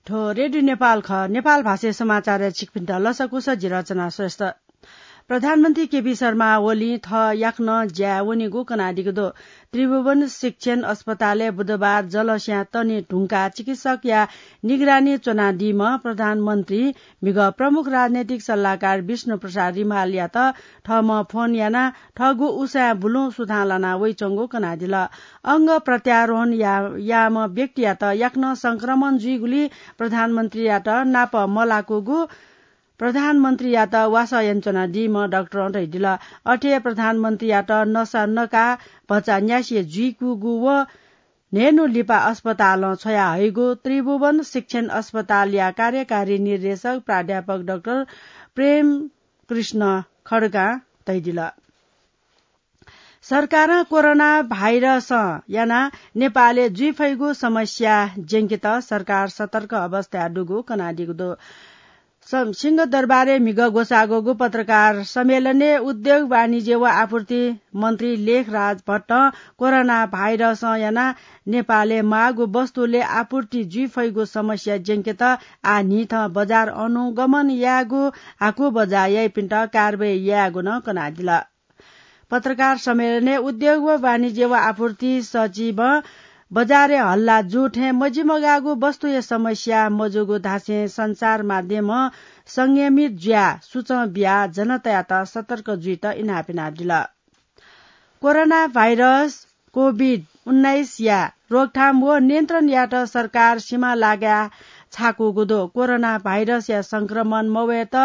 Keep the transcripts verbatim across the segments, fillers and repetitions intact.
थ्व रेडियो नेपाल खः। नेपाल भाषाय् समाचारय् छिकपिन्त लसकुस, जि रचना श्रेष्ठ। प्रधानमन्त्री केपी शर्मा ओलीं थः याकनं ज्याय् वनीगु कनादीगु दु। त्रिभुवन शिक्षण अस्पतालय् बुधबार जलस्यां तने धुंकाः चिकित्सकया निगरानी च्वनादीम्ह प्रधानमन्त्री म्हिगः प्रमुख राजनैतिक सल्लाहकार विष्णु प्रसाद रिमालयात थःम्हं फोन यानाः थःगु उसाँय् बुलुं सुथां लाना वइच्वंगु कनादिल। अंग प्रत्यारोहण या-, याःम्ह व्यक्तियात याकनं संक्रमण जुइगुलिं प्रधानमन्त्रीयात नाप मलाकूगु प्रधानमन्त्रीयात वासः यानाच्वनादीम्ह डाक्टरं धयादिल। अथे हे प्रधानमन्त्रीयात नसा नकाः भचा न्यासि जुइकूगु व न्हय्न्हु लिपा अस्पतालं छ्वयाहइगु त्रिभुवन शिक्षण अस्पतालया कार्यकारी निर्देशक प्राध्यापक डाक्टर प्रेम कृष्ण खड्गां धयादिल। सरकारं कोरोना भाइरसं यानाः नेपालय् जुइफइगु समस्या ज्यंकेत सरकार सतर्क अवस्थाय् दुगु कनादीगु दु। स-, सिंहदरबारय् म्हिगः ग्वसाःगु पत्रकार सम्मेलनय् उद्योग, वाणिज्य व आपूर्ति मन्त्री लेखराज भट्टं कोरोना भाइरसं यानाः नेपालय् माःगु वस्तुलय् आपूर्ति जुइफइगु समस्या ज्यंकेत आः न्हिथं बजार अनुगमन यायेगु हाकु बजार याइपिन्त कारवाही यायेगु नं कनादिल। पत्रकार सम्मेलनय् उद्योग व वाणिज्य व आपूर्ति सचिवं बजारय् हल्ला जू थें मजिमगाःगु वस्तुया समस्या मजूगु धासें सञ्चार माध्यमं संयमित जुयाः सूचं बियाः जनतायात सतर्क जुइत इनाप यानादिल। कोरोना भाइरस कोभिड उन्नाइसया रोकथाम व नियन्त्रण यायेत सरकार सीमा लागाय् छाकूगु दु। कोरोना भाइरसया संक्रमण मवयेत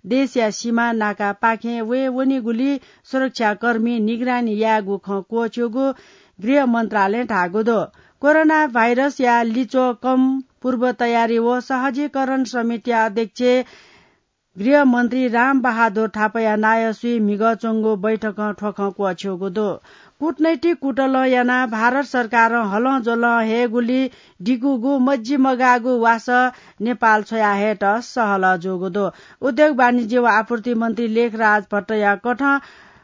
देशया सीमा नाकापाखें वये वनीगुलिं सुरक्षाकर्मी निगरानी यायेगु खँ क्वःछ्यूगु गृह मन्त्रालयं धाःगु दु। कोरोना भाइरसया लिच्वः कम पूर्व तयारी व सहजीकरण समितिया अध्यक्ष गृह मन्त्री राम बहादुर थापाया नायःसुइ म्हिगः च्वंगु बैठकं थ्व खँ क्वःछ्यूगु दु। कूटनैतिक कुतलं यानाः भारत सरकारं हलंज्वलं हयेगुलिं दिकूगु मजिमगाःगु वासः नेपाल छ्वयाहयेत सहलह जूगु दु। उद्योग वाणिज्य व आपूर्ति मन्त्री लेखराज भट्टया कथं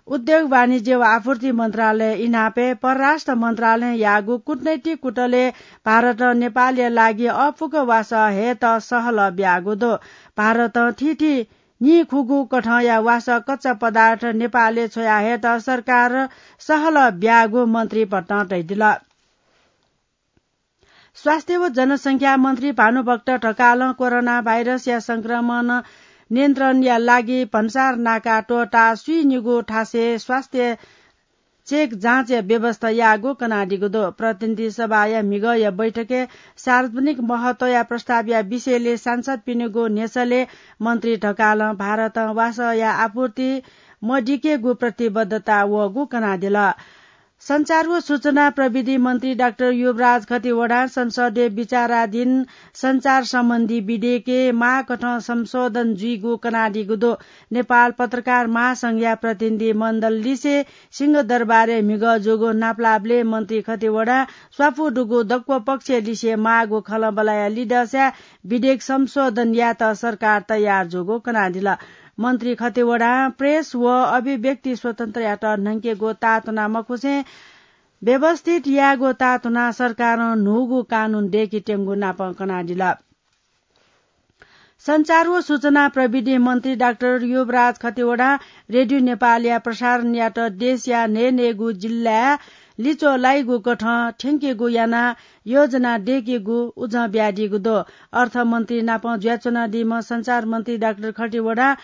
उद्योग वाणिज्य व आपूर्ति मन्त्रालय इनापय् परराष्ट्र मन्त्रालयं याःगु कूटनैतिक कुतलय् भारतं नेपालया लागि अःपुक वासः हयेत सहलह ब्याःगु दु। भारतं थीथी नीखुगू कथंया वासः कच्चा पदार्थ नेपालय् छ्वयाहयेत सरकारं सहलह ब्याःगु मन्त्री भट्टं धयादिल। स्वास्थ्य व जनसंख्या मन्त्री भानुभक्त ढकालं कोरोना भाइरसया संक्रमण नियन्त्रणया लागि भन्सार नाका त्वःताः स्वीनिगू थासय् स्वास्थ्य चेक जाँचया व्यवस्था याःगु कनादीगु दु। प्रतिनिधि सभाया म्हिगःया बैठकय् सार्वजनिक महत्वया प्रस्तावया विषयलय् सांसदपिनिगु न्ह्यसलय् मन्त्री ढकालं भारतं वासःया आपूर्ति मदिकेगु प्रतिबद्धता वःगु कनादिल। सञ्चार व सूचना प्रविधि मन्त्री डाक्टर युवराज खतिवडां संसदय् विचाराधीन सञ्चार सम्बन्धी विधेयकय् माःकथं संशोधन जुइगु कनादीगु दु। नेपाल पत्रकार महासंघया प्रतिनिधि मण्डल लिसे सिंहदरबारय् म्हिगः जूगु नापलाःबलय् मन्त्री खतिवडां स्वापू दुगु दक्व पक्ष लिसे माःगु खँल्हाबल्हाया लिधंसाय् विधेयक संशोधन यायेत सरकार तयार जूगु कनादिल। मन्त्री खतिवडां प्रेस व अभिव्यक्ति स्वतन्त्रयात न्हंकेगु ताःतुना मखुसें व्यवस्थित यायेगु ताःतुना सरकारं न्हूगु कानून दय्केत्यंगु नापं कनादिल। सञ्चार व सूचना प्रविधि मन्त्री डाक्टर युवराज खतिवडां रेडियो नेपालया प्रसारणयात देशया न्हय्न्हय्गू जिल्लाय् लिच्वः लाइगु कथं थ्यंकेगु यानाः योजना दय्केगु उजं बियादीगु दु। अर्थमन्त्री नाप जुयाच्वनादीम्ह सञ्चार मन्त्री डाक्टर खतिवडां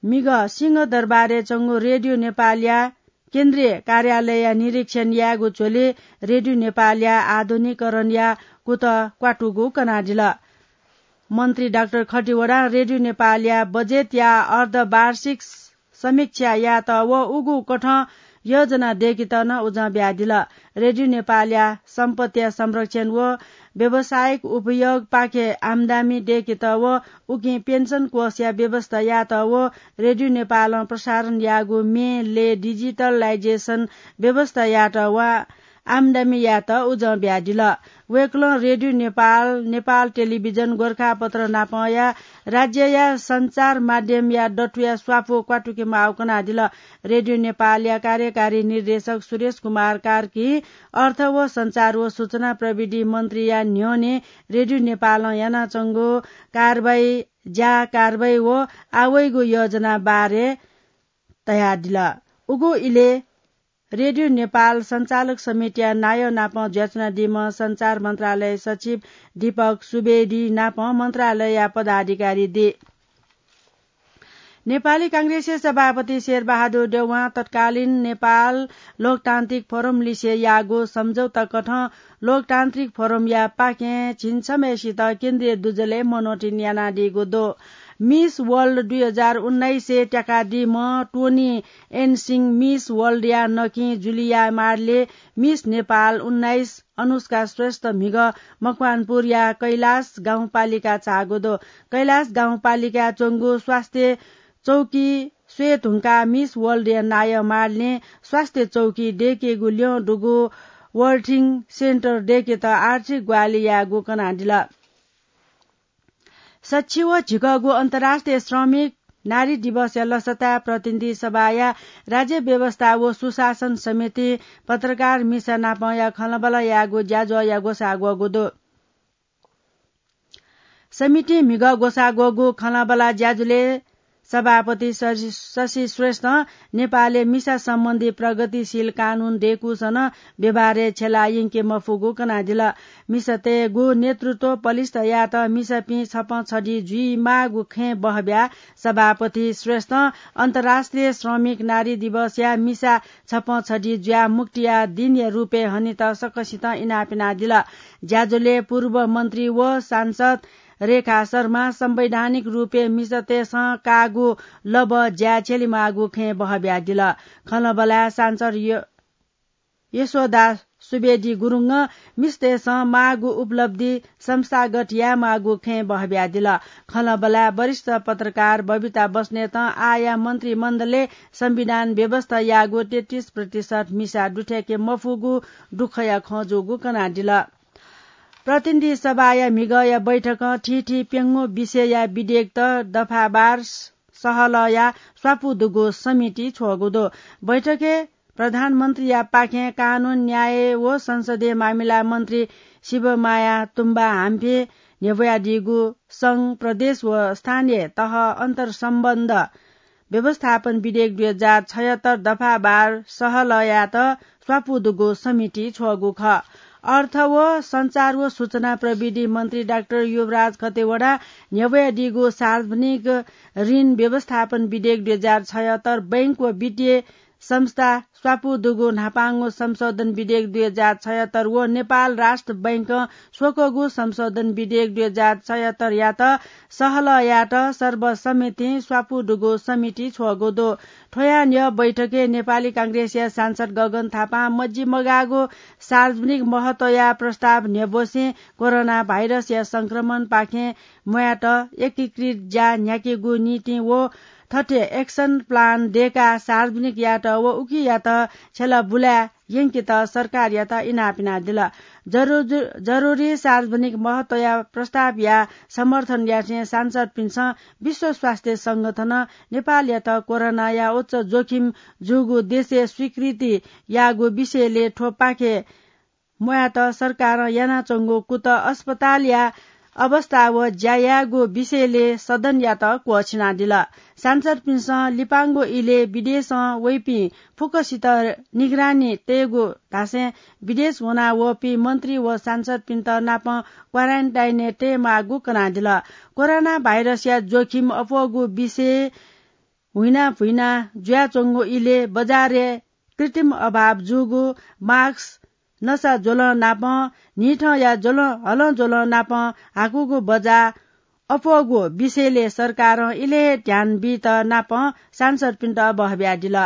म्हिगः सिंहदरबारय् च्वंगु रेडियो नेपालया केन्द्रीय कार्यालयया निरीक्षण यायेगु झ्वलय् रेडियो नेपालया आधुनिकीकरणया कुतः क्वातुगु कनादिल। मन्त्री डाक्टर खतिवडां रेडियो नेपालया बजेटया अर्धवार्षिक समीक्षा यायेत व उगु कथं योजना दय्केत नं उजं बियादिल। रेडियो नेपालया सम्पत्तिया संरक्षण व व्यावसायिक उपयोगपाखे आम्दानी दय्केत व उकिं पेन्सन कोषया व्यवस्था यायेत व रेडियो नेपालं प्रसारण याःगु म्ये लय् डिजिटलाइजेसन व्यवस्था यायेत व आम्दानी यायेत उजं बियादिल। वय्कलं रेडियो नेपाल, नेपाल टेलिभिजन, गोरखापत्र नापंया राज्यया सञ्चार माध्यमया दथुया स्वापू क्वातुके माःगु कनादिल। रेडियो नेपालया कार्यकारी निर्देशक सुरेश कुमार कार्की अर्थ व सञ्चार व सूचना प्रविधि मन्त्रीया न्ह्यःने रेडियो नेपालं यानाच्वंगु कारवाही, ज्या कारवाही व आवइगु योजना बारे तयादिल। उगु इलय् रेडियो नेपाल सञ्चालक समितिया नायः नापं जुयाच्वनादीम्ह सञ्चार मन्त्रालय सचिव दीपक सुवेदी नापं मन्त्रालयया पदाधिकारी दे। नेपाली कांग्रेसया सभापति शेरबहादुर देउवां तत्कालीन नेपाल लोकतान्त्रिक फोरम लिसे याःगु सम्झौता कथं लोकतान्त्रिक फोरमया पाखें झिंछम्हय्सित केन्द्रीय दुजलय् मनोनयन यानादीगु दु। मिस वर्ल्ड दुई हजार उन्नाइसय् त्याकादीम्ह टोनी एन सिंह, मिस वर्ल्डया नकिं जुलिया मार्ले, मिस नेपाल उन्नाइस अनुष्का श्रेष्ठ म्हिगः मकवानपुरया कैलाश गाउँपालिका झाःगु दु। कैलाश गाउँपालिकाय् च्वंगु स्वास्थ्य चौकी स्वये धुंकाः मिस वर्ल्डया नायः मार्लें स्वास्थ्य चौकी दय्केगु ल्यं दुगु वर्थिङ सेन्टर दय्केत आर्थिक ग्वाहालि यायेगु कनादिल। सच्छि व झिकःगु अन्तर्राष्ट्रिय श्रमिक नारी दिवसया लसताय् प्रतिनिधि सभाया राज्य व्यवस्था व सुशासन समिति पत्रकार मिसा नापंया खँल्हाबल्हा यायेगु ज्याझ्वःया ग्वसाः ग्वःगु दु। समितिं म्हिगः ग्वसाः ग्वःगु खँल्हाबल्हा ज्याझ्वलय् सभापति शशि, शशि श्रेष्ठं नेपालय् मिसा सम्बन्धी प्रगतिशील कानून दय्कूसां नं व्यवहारय् छ्यला यंके मफुगु कनादिल। मिसातय्गु नेतृत्व पलिस्थ यायेत मिसापिं छपं छधी जुइमाःगु खँय् बहब्याः सभापति श्रेष्ठं अन्तर्राष्ट्रिय श्रमिक नारी दिवसया मिसा छपं छधी जुयाः मुक्तिया दिनया रूपय् हनेत सकसितं इनाप यानादिल। ज्याझ्वलय् पूर्व मन्त्री व सांसद रेखा शर्मा संवैधानिक रूपय् मिसातय्सं काःगु लबः ज्याय् छ्यलेमाःगु खँय् बहब्यादिल। खँल्हाबल्हाय् सांसद य-, यशोदा सुवेदी गुरुङं मिसातय्सं माःगु उपलब्धि संस्थागत यायेमाःगु खँय् बहब्यादिल। खँल्हाबल्हाय् वरिष्ठ पत्रकार बबिता बस्नेतं आःया मन्त्रीमण्डलय् संविधान व्यवस्था याःगु तेत्तिस प्रतिशत मिसा दुथ्याके मफुगु दुःखया खँ जूगु कनादिल। प्रतिनिधि सभाया म्हिगःया बैठकं थीथी प्यंगू विषयया विधेयकत दफावार सहलहया स्वापू दुगु समिति छ्वःगु दु। बैठकय् प्रधानमन्त्रीया पाखें कानून, न्याय व संसदीय मामिला मन्त्री शिवमाया तुम्बा हाम्फे न्ह्यब्वयादीगु संघ, प्रदेश व स्थानीय तह अन्तर्सम्बन्ध व्यवस्थापन विधेयक दुई हजार छयत्तर दफावार सहलहयात स्वापू दुगु समिति छ्वःगु खः। अर्थ व सञ्चार व सूचना प्रविधि मन्त्री डाक्टर युवराज खतिवडा न्ह्यब्वयादीगु सार्वजनिक ऋण व्यवस्थापन विधेयक दुई हजार छयत्तर, बैंक व वित्तीय संस्था स्वापू दुगु न्हापांगु संशोधन विधेयक दुई हजार छयत्तर व नेपाल राष्ट्र बैंकं स्वकःगु संशोधन विधेयक दुई हजार छयत्तरयात सहलहयात सर्वसम्मतिं स्वापू दुगु समिति छ्वःगु दु। थ्वया न्ह्यः बैठकय् नेपाली कांग्रेसया सांसद गगन थापां मजि मगाःगु सार्वजनिक महत्वया प्रस्ताव न्ह्यब्वसें कोरोना भाइरसया संक्रमणपाखें म्वायेत एकीकृत ज्या न्ह्याकेगु निंतिं व थथे action plan दय्काः सार्वजनिक यायेत व उकियात छ्यला बुलाय् यंकेत सरकारयात इनाप यानादिल। जरु-, जरुरी सार्वजनिक महत्वया प्रस्तावया समर्थन यासें सांसदपिन्सं विश्व स्वास्थ्य संगठनं नेपालयात कोरोनाया उच्च जोखिम जूगु देशय् स्वीकृति याःगु विषयलय् थ्वपाखे म्वायेत सरकारं यानाच्वंगु कुतः अस्पतालया अवस्था व ज्या यायेगु विषयलय् सदनयात क्वःछिनादिल। सांसदपिन्सं लिपांगु इलय् विदेशं वइपिं फुक्कसित निगरानी तयेगु धासें विदेश वनावःपिं मन्त्री व सांसदपिन्त नापं quarantine-य् तयेमाःगु कनादिल। कोरोना भाइरसया जोखिम अप्वःगु विषयय् हुइना भुइना जुयाच्वंगु इलय् बजारय् कृत्रिम अभाव जूगु mask, नसा ज्वलं नापं न्हिथंया ज्वलं, हलं ज्वलं नापं हाकूगु बजा अप्वःगु विषयलय् सरकारं इलय् हे ध्यान बीत नापं सांसदपिन्त बहब्यादिल।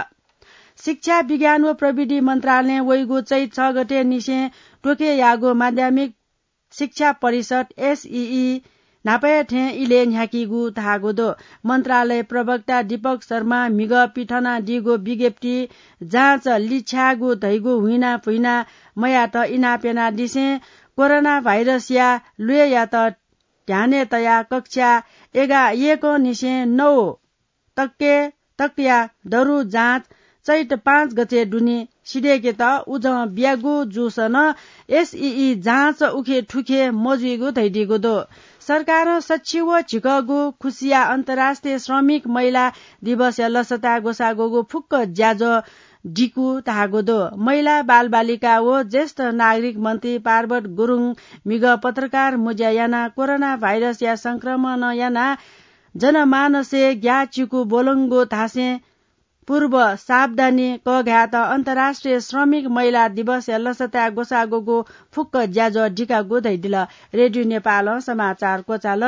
शिक्षा, विज्ञान व प्रविधि मन्त्रालयं वइगु चैत छ गते निसें तोके याःगु माध्यमिक शिक्षा परिषद, एसइई, न्हापाया थें इलय् न्ह्याकीगु धाःगु दु। मन्त्रालय प्रवक्ता दीपक शर्मां म्हिगः पिथनादीगु विज्ञप्ति जाँच लिछ्याःगु धइगु हुइना फुइना मयात इनाप यानादिसें कोरोना भाइरसया ल्वय्‌यात ध्यानय् तयाः कक्षा एघार यय्‌कंनिसें नौ तकय् तकया दरु जाँच चैत पाँच गते दुने सिधय्‌केत उजं बियागु जूसा नं एसईई जाँच उखे थुखे मजुइगु धयादीगु दु। सरकारं सच्छि व झिकःगु खुसिया अन्तर्राष्ट्रिय श्रमिक महिला दिवसया लसताय् ग्वसाः ग्वःगु फुक्क ज्याझ्वः दिकू धाःगु दु। महिला, बालबालिका व ज्येष्ठ नागरिक मन्त्री पार्वत गुरुङ म्हिगः पत्रकार मुँज्या यानाः कोरोना भाइरसया संक्रमणं यानाः जनमानसय् ग्याःचिकु ब्वलंगु धासें पूर्व सावधानी कःघायेत अन्तर्राष्ट्रिय श्रमिक महिला दिवसया लसताय् ग्वसाः ग्वःगु फुक्क ज्याझ्वः दिकागु धयादिल। रेडियो नेपालं समाचार क्वचाल।